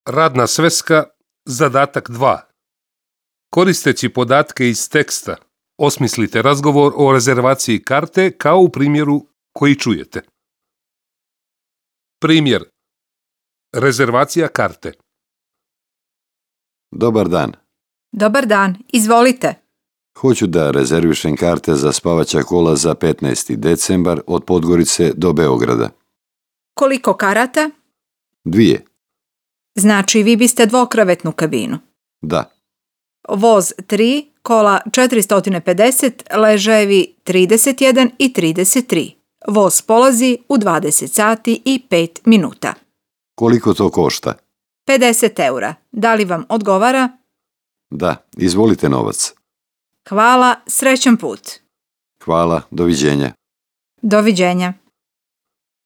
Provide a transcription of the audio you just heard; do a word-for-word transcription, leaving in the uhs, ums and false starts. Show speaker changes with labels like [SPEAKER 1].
[SPEAKER 1] Radna sveska, zadatak dva. Koristeći podatke iz teksta, osmislite razgovor o rezervaciji karte kao u primjeru koji čujete. Primjer. Rezervacija karte.
[SPEAKER 2] Dobar dan.
[SPEAKER 3] Dobar dan, izvolite.
[SPEAKER 2] Hoću da rezervišem karte za spavaća kola za petnaesti decembar od Podgorice do Beograda.
[SPEAKER 3] Koliko karata?
[SPEAKER 2] Dvije.
[SPEAKER 3] Znači vi biste dvokrevetnu kabinu.
[SPEAKER 2] Da.
[SPEAKER 3] Voz tri, kola četiristo pedeset, ležajevi trideset jedan i trideset tri. Voz polazi u dvadeset sati i pet minuta.
[SPEAKER 2] Koliko to košta?
[SPEAKER 3] pedeset eura. Da li vam odgovara?
[SPEAKER 2] Da, izvolite novac.
[SPEAKER 3] Hvala, srećan put.
[SPEAKER 2] Hvala, doviđenja.
[SPEAKER 3] Doviđenja.